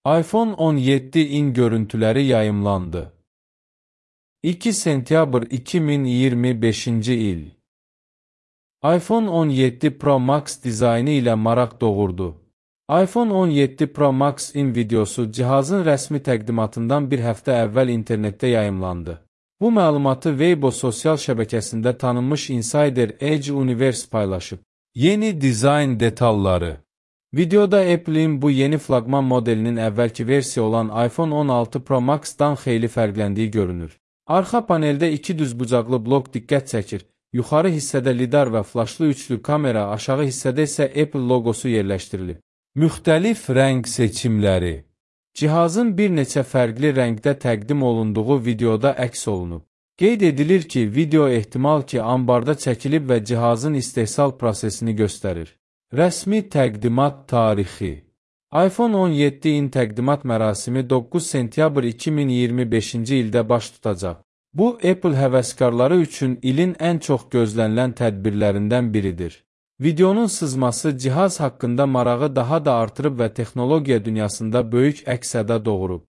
iPhone 17'in görüntüləri yayımlandı. 2 sentyabr 2025-ci il. iPhone 17 Pro Max dizaynı ilə maraq doğurdu. iPhone 17 Pro Max-in videosu cihazın rəsmi təqdimatından bir həftə əvvəl internetdə yayımlandı. Bu məlumatı Weibo sosial şəbəkəsində tanınmış insider Edge Universe paylaşıb. Yeni dizayn detalları. Videoda Apple'in bu yeni flaqman modelinin əvvəlki versiya olan iPhone 16 Pro Max-dan xeyli fərqləndiyi görünür. Arxa paneldə iki düzbucaqlı blok diqqət çəkir. Yuxarı hissədə lidar və flaşlı üçlü kamera, aşağı hissədə isə Apple loqosu yerləşdirilib. Müxtəlif rəng seçimləri. Cihazın bir neçə fərqli rəngdə təqdim olunduğu videoda əks olunub. Qeyd edilir ki, video ehtimal ki, ambarda çəkilib və cihazın istehsal prosesini göstərir. Rəsmi təqdimat tarixi. iPhone 17'in təqdimat mərasimi 9 sentyabr 2025-ci ildə baş tutacaq. Bu, Apple həvəskarları üçün ilin ən çox gözlənilən tədbirlərindən biridir. Videonun sızması cihaz haqqında marağı daha da artırıb və texnologiya dünyasında böyük əks-səda doğurub.